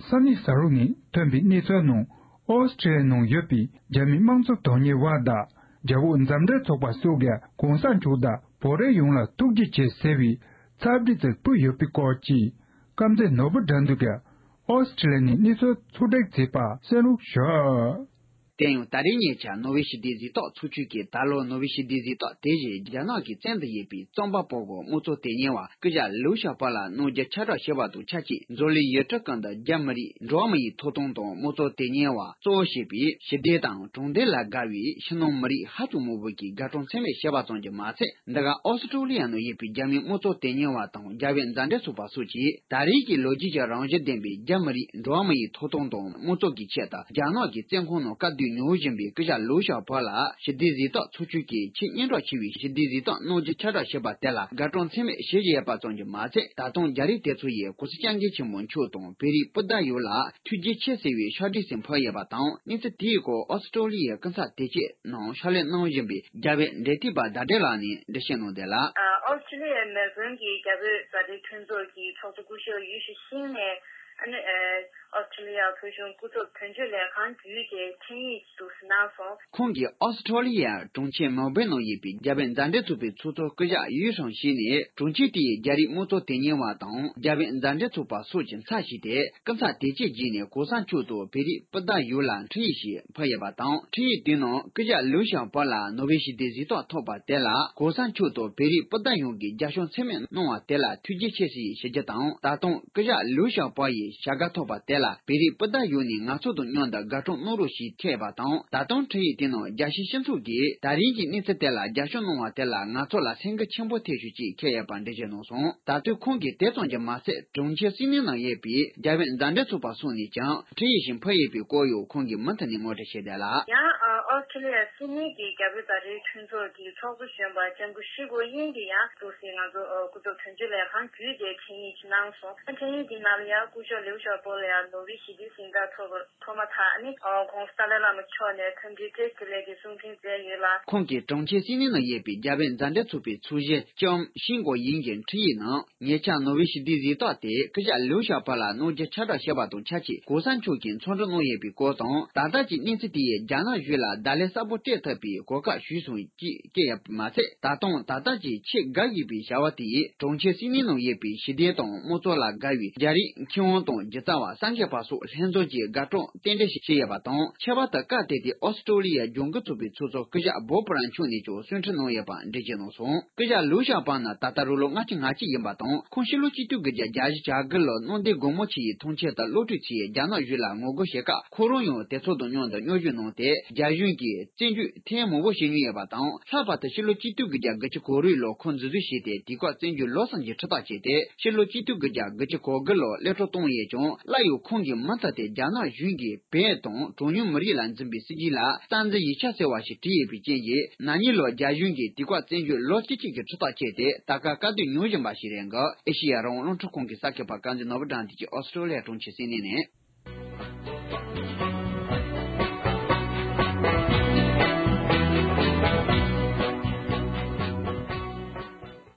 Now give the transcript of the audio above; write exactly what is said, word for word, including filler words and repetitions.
ས་གནས་གསར་པ་ནས་ཐོན་པའི་གནས་ཚུལ་ནང་། ཨོ་སི་ཀྲི་ལི་ཡའི་ནང་ཡོད་པའི་རྒྱ་མིའི་དམངས་གཙོ་དོན་གཉེར་བ་དང་། རྒྱ་བོད་མཛའ་འབྲེལ་ཚོགས་པ་སོགས་ཀྱིས་གོང་ས་མཆོག་དང་བོད་རིགས་ཡོངས་ལ་ཐུགས་རྗེ་ཆེ་ཟེར་བའི་ཚབ་བྲིས་ཅིག་ཕུལ་ཡོད་པའི་སྐོར་གྱི། དཀར་མཛེས་ནོར་བུ་དགྲ་འདུལ་གྱིས་ཨོ་སི་ཀྲི་ལི་ཡ་ནས་གནས་ཚུལ་ཕྱོགས་བསྒྲིགས་བྱས་པ་གསན་རོགས་ཞུ། དེ་ཡང་ད་རེས་ཉེ་ཆར་ནོ་བྷེལ་ཞི་བདེའི་གཟེངས་རྟགས་ཚོགས་ཆུང་གིས། ད་ལོ་ནོ་བྷེལ་ཞི་བདེའི་གཟེངས་རྟགས་དེ་བཞིན་རྒྱ་ནག་གི་བཙོན་དུ་ཡོད་པའི་རྩོམ་པ་པོ་གི་དམངས་གཙོ་དོན་གཉེར་བ་སྐུ་ཞབས་ལིའུ་ཞའོ་པོ་ལ་གནང་རྒྱུ་ཁྱབ་བསྒྲགས་བྱས་པ་དང་ཆབས་ཅིག་འཛམ་གླིང་ཡུལ་གྲུ་ཁག་འདི་རྒྱ་མི་རིགས་འགྲོ་བ་མི་ཡི་ཐོབ་ཐང་དང་དམངས་གཙོ་དོན་གཉེར་བ་གཙོ་བོ་བྱས་པའི་ཞི་བདེ་དང་དྲང་བདེན་ལ་དགའ་བའི་ཕྱི་ནང་མི་རིགས་ཧ་ཅང་མང་པོ་གིས་དགའ་སྤྲོ་ཚད་མེད་བྱས་པ་ཙམ་གྱིས་མ་ཚད། འདི་ག་ཨོ་སི་ཀྲོ་ལི་ཡ་ནང་ཡོད་པའི་རྒྱ་མིའི་དམངས་གཙོ་དོན་གཉེར་བ་དང་རྒྱ་བོད་མཛའ་འབྲེལ་ཚོགས་པ་སོགས་ཀྱིས། ད་རེས་ཀྱི་ལོ་རྒྱུས་ཀྱི་རང་བཞིན་ལྡན་པའི་རྒྱ་མི་རིགས་འགྲོ་བ་མི་ཡི་ཐོབ་ཐང་དང་དམངས་གཙོ་གི་ཆེད་དུ་རྒྱ་ནག་གི་བཙོན་ཁང་ནང་དཀའ་སྡུག་མྱོང་བཞིན་པའི་སྐུ་ཞབས་ལིའུ་ཞའོ་པོ་ལ་ཞི་བདེའི་གཟེངས་རྟགས་ཚོགས་ཆུང་གིས་ཆེས་སྙན་གྲགས་ཆེ་བའི་ཞི་བདེའི་གཟེངས་རྟགས་གནང་རྒྱུ་ཁྱབ་བསྒྲགས་བྱས་པ་དེ་ལ་དགའ་སྤྲོ་ཚད་མེད་བྱེད་བཞིན་ཡོད་པ་ཙམ་གྱིས་མ་ཚད། ད་དུང་རྒྱ་རིགས་དེ་ཚོ་ཡིས་གོང་ས་སྐྱབས་མགོན་ཆེན་པོ་མཆོག་དང་བོད་རིགས་སྤུན་ཟླ་ཡོངས་ལ་ཐུགས་རྗེ་ཆེ་ཟེར་བའི་ཕྱག་བྲིས་ཤིག་ཕུལ་ཡོད་པ་དང་། གནས་ཚུལ་དེའི་སྐོར་ཨོ་སི་ཀྲོ་ལི་ཡའི་སྐུ་ཚབ་དོན་གཅོད་ནང་ཕྱག་ལས་གནང་བཞིན་པའི་རྒྱ་བོད་འབྲེལ་མཐུད་པ་ཟླ་སྒྲོན་ལགས་ནས་འགྲེལ་བཤད་གནང་དོན་ལ། ཨོ་སི་ཀྲི་ལི་ཡའི་མེལ་བྷོན་གྱི་རྒྱ་བོད་མཛའ་འབྲེལ་མཐུན་ཚོགས་ཀྱི་ཚོགས་གཙོ་སྐུ་ཞབས་ཡུས་ཤིན་ནས། ཨ་ནི་ཨོ་སི་ཀྲི་ལི་ཡའི་བོད་གཞུང་སྐུ་ཚབ་དོན་གཅོད་ལས་ཁང་བརྒྱུད་དེ་འཕྲིན་ཡིག་ཅིག་གནང་སོང་། ཁོང་གིས་ཨོ་སི་ཀྲོ་ལི་ཡའི་གྲོང་ཁྱེར་མེལ་བྷོན་ནང་ཡོད་པའི་རྒྱ་བོད་མཛའ་འབྲེལ་ཚོགས་པའི་ཚོགས་གཙོ་སྐུ་ཞབས་ཡུས་ཧྲང་ཞིན་ནས། གྲོང་ཁྱེར་དེའི་རྒྱ་རིགས་དམངས་གཙོ་དོན་གཉེར་བ་དང་རྒྱ་བོད་མཛའ་འབྲེལ་ཚོགས་པ་སོགས་ཀྱི་ཚབ་ཞུས་ཏེ། སྐུ་ཚབ་དོན་གཅོད་བརྒྱུད་ནས་གོང་ས་མཆོག་དང་བོད་རིགས་སྤུན་ཟླ་ཡོངས་ལ་འཕྲིན་ཡིག་ཞིག་ཕུལ་ཡོད་པ་དང་། འཕྲིན་ཡིག་དེའི་ནང་སྐུ་ཞབས་ལིའུ་ཞའོ་པོ་ལ་ནོ་བྷེལ་ཞི་བདེའི་གཟེངས་རྟགས་ཐོབ་པ་དེ་ལ་གོང་ས་མཆོག་དང་བོད་རིགས་སྤུན་ཟླ་ཡོངས་ཀྱིས་རྒྱབ་སྐྱོར་ཚད་མེད་གནང་བ་དེ་ལ་ཐུགས་རྗེ་ཆེ་ཞེས་ཞུ་རྒྱུ་དང་། ད་དུང་སྐུ་ཞབས་ལིའུ་ཞའོ་པོ་ཡི་བྱ་དགའ་ཐོབ་པ་དེ་ལ་བོད་རིགས་སྤུན་ཟླ་ཡོངས་ནས་ང་ཚོ་དང་མཉམ་དུ་དགའ་སྤྲོ་གནང་རོགས་ཞེས་འཁོད་ཡོད་པ་དང་། ད་དུང་འཕྲིན་ཡིག་དེའི་ནང་རྒྱལ་སྤྱིའི་སྤྱི་ཚོགས་ཀྱིས་ད་རེས་ཀྱི་གནས་ཚུལ་དེ་ལ་རྒྱབ་སྐྱོར་གནང་བ་དེ་ལ་ང་ཚོ་ལ་སེམས་འགུལ་ཆེན་པོ་ཐེབས་ཞུ་ཅེས་འཁོད་ཡོད་པ་འགྲེལ་བརྗོད་གནང་སོང་། ད་དུང་ཁོང་གིས་དེ་ཙམ་གྱིས་མ་ཚད། གྲོང་ཁྱེར་སིད་ནི་ནང་ཡོད་པའི་རྒྱ་བོད་མཛའ་འབྲེལ་ཚོགས་པ་སོགས་ནས་ཀྱང་འཕྲིན་ཡིག་ཞིག་ཕུལ་ཡོད་པའི་སྐོར་ཡང་ཁོང་གིས་མུ་མཐུད་ནས་ངོ་སྤྲོད་བྱས་བསྡད་ལ། ཡང་ཨོ་སི་ཀྲི་ལི་ཡ་སིད་ནི་གི་རྒྱ་བོད་མཛའ་འབྲེལ་མཐུན་ཚོགས་ཀྱི་ཚོགས་གཙོ་གཞོན་པ་ལྕམ་སྐུ་ཧྲི་གོ་དབྱིང་གིས་ཡང་འདུག་སེ་ང་ཚོ་སྐུ་ཚབ་དོན་གཅོད་ལས་ཁང་བརྒྱུད་དེ་འཕྲིན་ཡིག་ཅིག་གནང་སོང་། འཕྲིན་ཡིག་དེའི་ནང་ལ་ཡང་སྐུ་ཞབས་ལིའུ་ཞའོ་པོ་ལ་ཡང་ནོ་བྷེལ་ཞི་བདེའི་གཟེངས་རྟགས་ཐོབ་པ། ཐོག་མ་ཐག་ནི་ཨོ་༸གོང་ས་ཏཱ་ལའི་བླ་མ་མཆོག་ནས་འཚམས་འདྲི་བཀྲ་ཤིས་བདེ་ལེགས་ཀྱི་གསུང་འཕྲིན་བསྩལ་ཡོད་ལ། ཁོང་གིས་གྲོང་ཁྱེར་སིད་ནི་ནང་ཡོད་པའི་རྒྱ་བོད་མཛའ་འབྲེལ་ཚོགས་པའི་ཚོགས་གཞོན་ལྕམ་ཤིན་གོ་དབྱིང་གི་འཕྲིན་ཡིག་ནང་། ཉེ་ཆར་ནོ་བྷེལ་ཞི་བདེའི་གཟེངས་རྟགས་དེ་སྐུ་ཞབས་ལིའུ་ཞའོ་པོ་ལ་གནང་རྒྱུ་ཁྱབ་བསྒྲགས་བྱས་པ་དང་ཆབས་ཅིག་གོང་ས་མཆོག་གིས་མཚམས་འདྲི་གནང་ཡོད་པའི་སྐོར་དང་། ད་ལྟ་གྱི་གནས་ཚུལ་དེ་ཡིས་རྒྱ་ནག་གཞུང་ལ་བརྡ་ལན་གསལ་པོ་སྤྲད་ཐུབ་པའི་གོ་སྐབས་ཞིག་བྱུང་ཅེས་བཀོད་ཡོད་པ་མ་ཚད། ད་དུང་ད་ལྟ་གྱི་ཆེས་དགའ་འོས་པའི་བྱ་བ་དེ་ཡིས་གྲོང་ཁྱེར་སིད་ནི་ནང་ཡོད་པའི་ཞི་བདེ་དང་དམངས་གཙོ་ལ་དགའ་བའི་རྒྱ་རིགས་མཁས་དབང་དང་སྒྱུ་རྩལ་བ་གསར་འགོད་པ་སོགས་ལྷན་འཛོམས་ཀྱིས་དགའ་སྤྲོ་རྟེན་འབྲེལ་ཞིག་བྱས་ཡོད་པ་དང་། ཁྱད་པར་དུ་སྐབས་དེ་དུས་ཨོ་སི་ཀྲོ་ལི་ཡའི་ལྗང་གུ་ཚོགས་པའི་ཚོགས་གཙོ་སྐུ་ཞབས་བོབ་པུ་རན་མཆོག་ནས་ཀྱང་གསུང་འཕྲིན་གནང་ཡོད་པ་འགྲེལ་བརྗོད་གནང་སོང་། སྐུ་ཞབས་ལིའུ་ཞའོ་པོ་ནི་ད་ལྟ་རང་ལོ་ལྔ་བཅུ་ང་གཅིག་ཡིན་པ་དང་། ཁོང་ཕྱི་ལོ་གཅིག་སྟོང་དགུ་བརྒྱ་གྱ་དགུ་ལོར་གནམ་བདེ་སྒོ་མོ་ཆེ་ཡི་ཐང་ཆེན་དུ་སློབ་ཕྲུག་ཚོས་རྒྱ་ནག་གཞུང་ལ་ངོ་རྒོལ་བྱེད་སྐབས། ཁོ་རང་ཡང་དེ་ཚོ་དང་མཉམ་དུ་མཉམ་ཞུགས་གནང་སྟེ། རྒྱ་གཞུང་གིས་བཙོན་འཇུག་ཐེངས་མང་པོ་བྱེད་མྱོང་ཡོད་པ་དང་། ལྷག་པར་དུ་ཕྱི་ལོ་གཅིག་སྟོང་དགུ་བརྒྱ་དགུ་བཅུ་གོ་དྲུག་ལོར་ཁོང་འཛིན་བཟུང་བྱས་ཏེ། དེ་སྐབས་བཙོན་འཇུག་ལོ་གསུམ་གྱི་ཁྲིམས་ཐག་བཅད་དེ། ཕྱི་ལོ་གཅིག་སྟོང་དགུ་བརྒྱ་དགུ་བཅུ་གོ་དགུ་ལོར་གློད་གྲོལ་བཏང་ཡོད་ཀྱང་། སླར་ཡང་ཁོང་གིས་མུ་མཐུད་དེ་རྒྱ་ནག་གཞུང་གིས་བོད་དང་གྲངས་ཉུང་མི་རིགས་ལ་འཛིན་པའི་སྲིད་བྱུས་ལ་རྩ་འཛིན་ཡིག་ཆ་ཟེར་བ་ཞིག་བྲིས་ཡོད་པའི་རྐྱེན་གྱིས། ན་ནིང་ལོར་རྒྱ་གཞུང་གིས་དེ་སྐབས་བཙོན་འཇུག་ལོ་བཅུ་གཅིག་གི་ཁྲིམས་ཐག་བཅད་དེ། ད་སྐབས་དཀའ་སྡུག་མྱོང་བཞིན་པ་ཞིག་རེད་འདུག་ཨེ་ཤེ་ཡ་རང་དབང་རླུང་འཕྲིན་ཁང་གི་གསར་འགོད་པ་དཀར་མཛེས་ནོར་བུ་དགྲ་འདུལ་གྱིས་ཨོ་སི་ཀྲོ་ལི་ཡ་གྲོང་ཁྱེར་སིད་ནི་ནས།